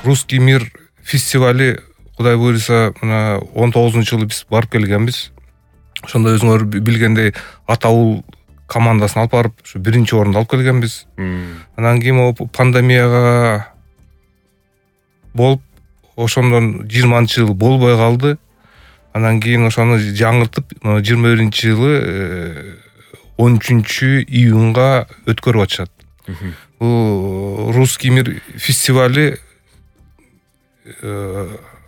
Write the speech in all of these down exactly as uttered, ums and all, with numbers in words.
Русский мир фестивали Кудай буйруса мына он тогузунчу жылы биз барып келгенбиз. Ошондо өзүңөр билгендей Атаул командасын алып барып, ушу биринчи орунду алып келгенбиз. Анан кийин могу пандемияга болуп, ошондон жыйырманчы жыл болбой калды. Анан кийин ошону жаңыртып, жыйырма биринчи жылы он үчүнчү июнга өткөрүп атышат. Бул Русский мир фестивали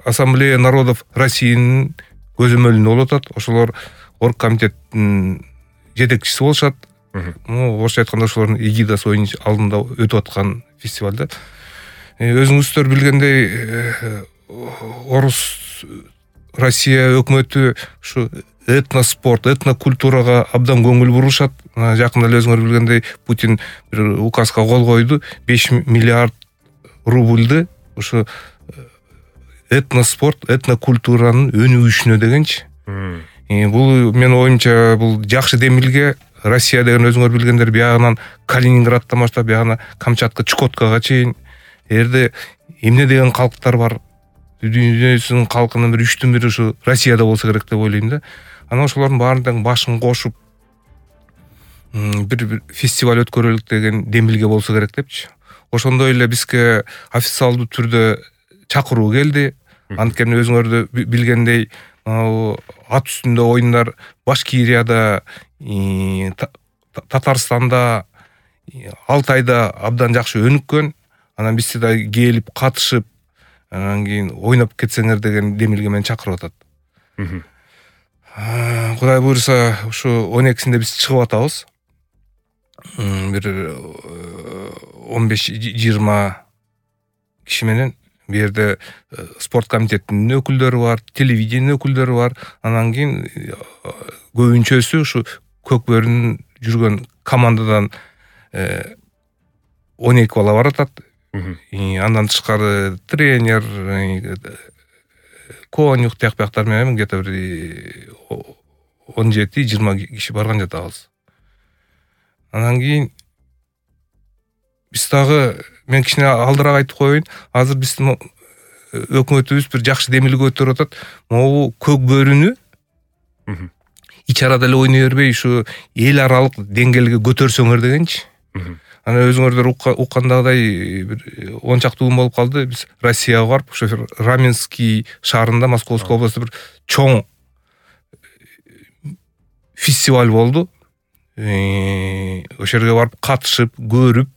Ассамблея народов Россиянын көзөмөлүндө болуп атат. Ошолор оргкомитеттин жетекчиси болушат. Орусча айтканда ошолордун эгидасы алдында өтүп аткан фестивалда. Өзүңүздөр билгендей, Орус Россия өкмөтү ушу этноспорт, этнокультурага абдан көңүл бурушат. Жакында эле өзүңөр билгендей Путин бир указга кол койду, беш миллиард рубльды ушу этноспорт, этнокультуранын өнүгүшүнө дегенчи. Бул менин оюмча бул жакшы демилге. Россия деген өзүңөр билгендер биягынан Калининграддан баштап биягына Камчатка, Чукоткага чейин эрде эмне деген калктар бар. Дүйнөнүн калкынын бир үчтөн бири ушу Россияда болсо керек деп ойлойм да. Анан ошолордун баарынын башын кошуп бир фестиваль өткөрөлүк деген демилге болсо керек депчи. Ошондой эле бизге официалдуу түрдө чакыруу келди. Анткени өзүңөр билгендей, ат үстүндө оюндар Башкирияда, Татарстанда, Алтайда абдан жакшы өнүккөн. Анан бизди да келип катышып, анан кийин ойноп кетсеңер деген демилге менен чакырып атат. Кудай буйруса, ушу он экисинде биз чыгып атабыз. Бир он беш жыйырма киши менен. Бу жерде спорт комитетинин өкүлдөрү бар, телевидение өкүлдөрү бар. Анан кийин көбүнчөсү ушу Көкбөрүнүн жүргөн командадан он эки бала баратат. Андан тышкары тренер, конюх тияк-бияктар менен где-то бир он жети жыйырма киши барган жатабыз. Анан кийин биз дагы, мен кичине алдыраак айтып коеюн, азыр биздин өкмөтүбүз бир жакшы демилге өтөрүп атат. Могу Көкбөрүнү ич арада эле ойной бербей, ушу эл аралык деңгээлге көтөрсөңөр дегенчи. Анан өзүңөрдөр уккандагыдай бир он чакты күн болуп калды. Биз Россияга барып, ошо Раменский шаарында, Московской областында бир чоң фестиваль болду. Ошо жерге барып катышып, көрүп,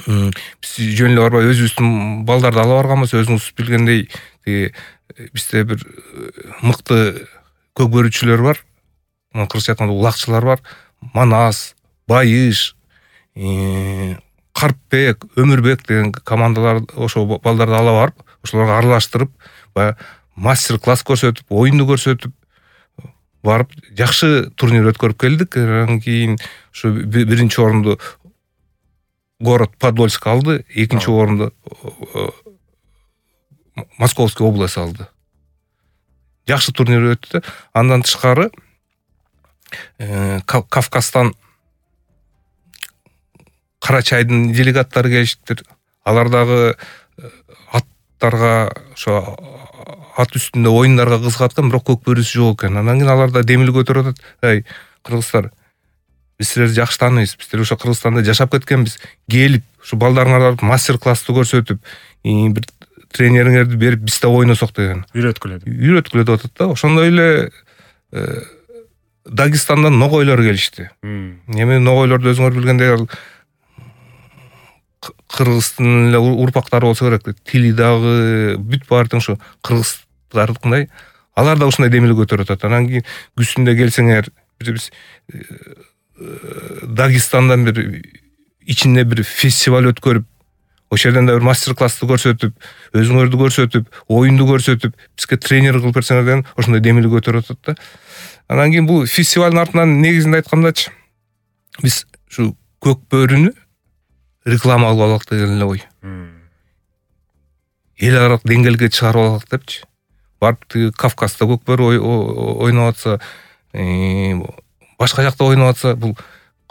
биз жөн эле барбай өзүбүздүн балдарды ала барганбыз. Өзүңүз билгендей, бизде бир мыкты көкбөрүчүлөр бар. Кыргызча айтканда улакчылар бар. Манас, Байыш, Карпбек, Өмүрбек деген командалар ошо балдарды ала барып, ошолорго аралаштырып, баягы мастер-класс көрсөтүп, оюнду көрсөтүп барып, жакшы турнир өткөрүп келдик. Анан кийин ушу биринчи орунду город Подольск алды, экинчи орунду Московский область алды. Жакшы турнир өттү. Андан тышкары Кавказдан Карачайдын делегаттары келиштир. Алар дагы аттарга, ошо ат үстүндө оюндарга кызыгаткан, бирок көкбөрүсү жок экен. Анан кийин алар да демилге көтөрүп атат. Эй, кыргыздар, биз силерди жакшы тааныйбыз. Биздер ошо Кыргызстанда жашап кеткенбиз. Келип, ушу балдарыңарды мастер-классты көрсөтүп, бир тренириңерди берип, биз да ойносок деген. Үйрөткүлө. Үйрөткүлө деп атат да. Ошондой эле Дагестандан ногойлор келишти. Эми ногойлорду өзүңөр билгендей, кыргыздын эле урпактары болсо керек. Тили дагы бүт баары тең ушу кыргыздардыкындай. Алар да ушундай демилге көтөрүп атат. Анан кийин күзүндө келсеңер, биз Дагестандан бир ичинде бир фестиваль өткөрүп, ошол жерден да бир мастер-классты көрсөтүп, өзүңөрдү көрсөтүп, оюнду көрсөтүп, бизге тренер кылып берсеңер деген ошондой демилге көтөрүп атат да. Анан кийин бул фестивалдын артынан негизинде айткандачы, биз ушу Көкбөрүнү реклама кылып алалык деген эле ой. Эл аралык деңгээлге чыгарып алалык депчи. Барып тиги Кавказда Көкбөрү ойноп атса, башка жакта ойноп атса, бул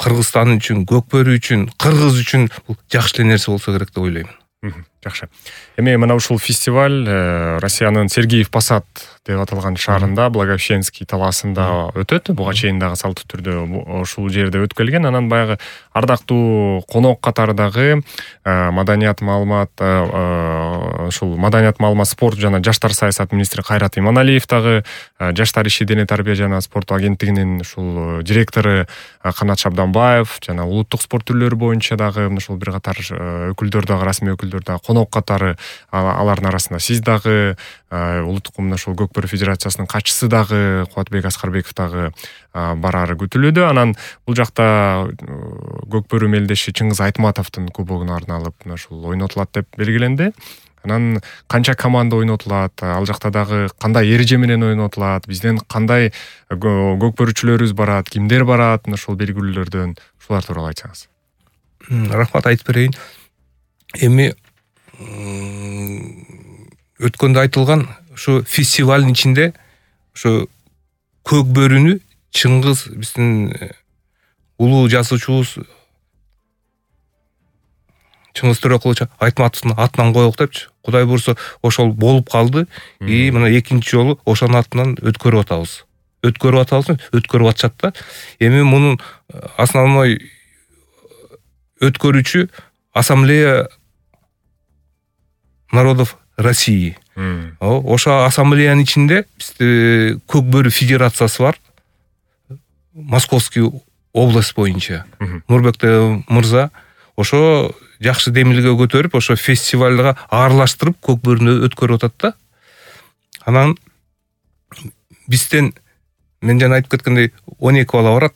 Кыргызстан үчүн, Көкбөрү үчүн, кыргыз үчүн бул жакшы нерсе болсо керек деп ойлойм. Жакшы. Эми мына ушул фестиваль Россиянын Сергеев Посад деп аталган шаарында, Благовещенский талаасында өтөт. Буга чейин дагы салттуу түрдө ушул жерде өткөрүлгөн. Анан баягы ардактуу конок катары дагы маданият маалымат ушул маданият маалымат спорт жана жаштар саясат министри Кайрат Иманалиев дагы, жаштар иши дене тарбия жана спорт агенттигинин ушул директору Канат Шабданбаев жана улуттук спорт түрлөрү боюнча дагы ушул бир катар өкүлдөр дагы, расмий өкүлдөр дагы конок катары, алардын арасында сиз дагы, улуттук мына ушул Көкбөрү Федерациясынын катчысы дагы Кубатбек Аскарбеков дагы барары күтүлүүдө. Анан бул жакта Көкбөрү мелдеши Чыңгыз Айтматовдун кубогуна арналып ушул ойнотулат деп белгиленди. Анан канча команда ойнотулат, ал жакта дагы кандай эреже менен ойнотулат, бизден кандай көкбөрүчүлөрүбүз барат, кимдер барат, ушул белгилүүлөрдөн ушулар тууралуу айтсаңыз. Рахмат, айтып берейин. Эми өткөндө айтылган ушу фестивалдын ичинде ушу Көкбөрүнү Чыңгыз биздин улуу жазуучубуз Чыңгыз Төрөкулович Айтматовдун атынан коелук депчи. Кудай буюрса ошол болуп калды. И мына экинчи жолу ошонун атынан өткөрүп атабыз. Өткөрүп атабыз, өткөрүп атышат да. Эми мунун основной өткөрүүчү Ассамблея народов России. Ошо ассамблеянын ичинде бизде Көкбөрү Федерациясы бар. Московский область боюнча. Нурбек мырза ошо жакшы демилге көтөрүп, ошо фестивалга аралаштырып Көкбөрүнү өткөрүп атат да. Анан бизден мен жана айтып кеткендей он эки бала барат.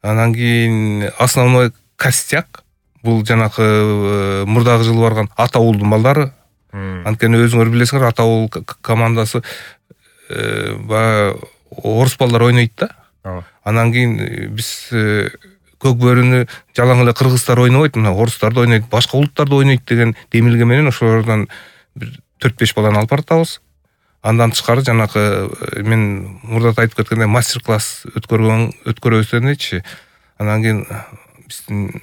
Анан кийин основной костяк бул жанакы мурдагы жылы барган ата уулдун балдары. Анткени өзүңөр билесиңер, ата уулу командасы баягы орус балдар ойнойт да. Анан кийин биз Көкбөрүнү жалаң эле кыргыздар ойнобойт, мына орустар да ойнойт, башка улуттар да ойнойт деген демилге менен ошолордон бир төрт беш баланы алып баратабыз. Андан тышкары жанакы мен мурда айтып кеткендей мастер-класс өткөргөн өткөрөбүз дечи. Анан кийин биздин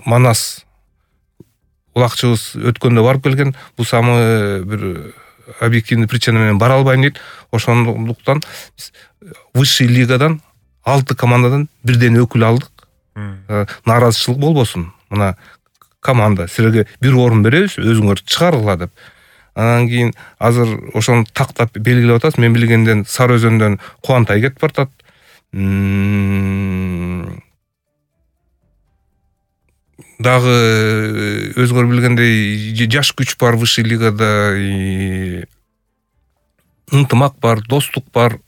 Манас улакчыбыз өткөндө барып келген. Бул самый бир объективный причина менен бара албайм дейт. Ошондуктан высший лигадан алты командадан бирден өкүл алдык. Нааразычылык болбосун. Мына команда силерге бир орун беребиз, өзүңөр чыгаргыла деп. Анан кийин азыр ошону тактап белгилеп атабыз. Мен билгенден Сары Өзөндөн Кубантай кетип бартат. Дагы өзүңөр билгендей жаш күч бар высший лигада, ынтымак бар, достук бар,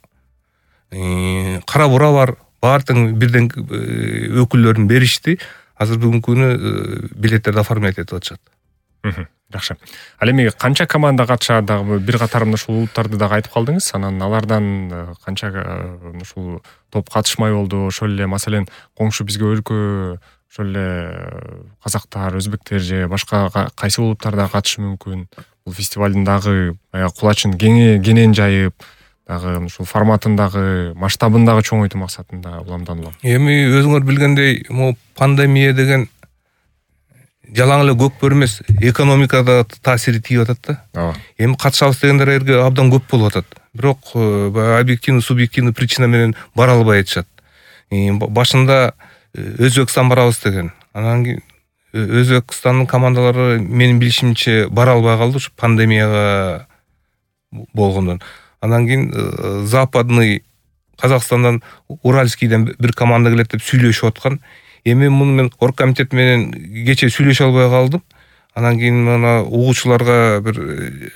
Кара Бура бар. Баардыгын бирден өкүлдөрүн беришти. Азыр бүгүнкү күнү билеттерди оформлять этип атышат. Жакшы. Ал эми канча команда катышат, дагы бир катар ушул улуттарды дагы айтып калдыңыз. Анан алардан канча ушул топ катышмай болду. Ошол эле маселен коңшу бизге өлкө ошол эле казактар, өзбектер же башка кайсы улуттар да катышы мүмкүн. Бул фестивалдын дагы кулачын кенен жайып, дагы ушул форматындагы, масштабындагы чоңойтуу максатында уламдан улам. Эми өзүңөр билгендей, могу пандемия деген жалаң эле Көкбөрү эмес, экономикада таасири тиип атат да. Эми катышабыз дегендерге абдан көп болуп атат. Бирок объективный, субъективный причина менен бара албай атышат. Башында Өзбекстан барабыз деген. Анан кийин Өзбекстандын командалары менин билишимче бара албай калды, ушу пандемияга болгондон. Анан кийин западный Казакстандан Уральскийден бир команда келет деп сүйлөшүп аткан. Эми муну мен оргкомитет менен кече сүйлөшө албай калдым. Анан кийин мына угуучуларга бир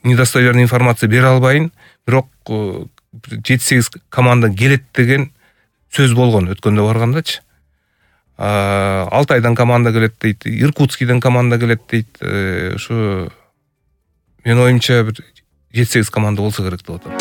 недостоверный информация бере албайын. Бирок жети сегиз команда келет деген сөз болгон өткөндө баргандачы. Алтайдан команда келет дейт, Иркутскийден команда келет дейт. Ушу мен оюмча бир жети сегиз команда болсо керек деп атам.